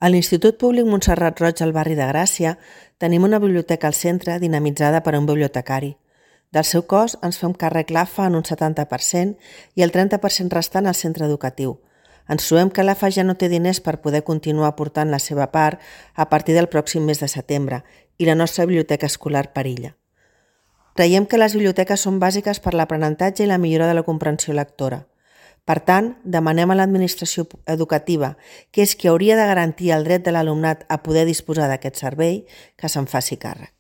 A l'Institut Públic Montserrat Roig al barri de Gràcia tenim una biblioteca al centre dinamitzada per a un bibliotecari. Del seu cost ens fem càrrec l'AFA en un 70% i el 30% restant al centre educatiu. Ens trobem que l'AFA ja no té diners per poder continuar aportant la seva part a partir del pròxim mes de setembre i la nostra biblioteca escolar perilla. Creiem que les biblioteques són bàsiques per l'aprenentatge i la millora de la comprensió lectora. Per tant, demanem a l'administració educativa, que és qui hauria de garantir el dret de l'alumnat a poder disposar d'aquest servei, que se'n faci càrrec.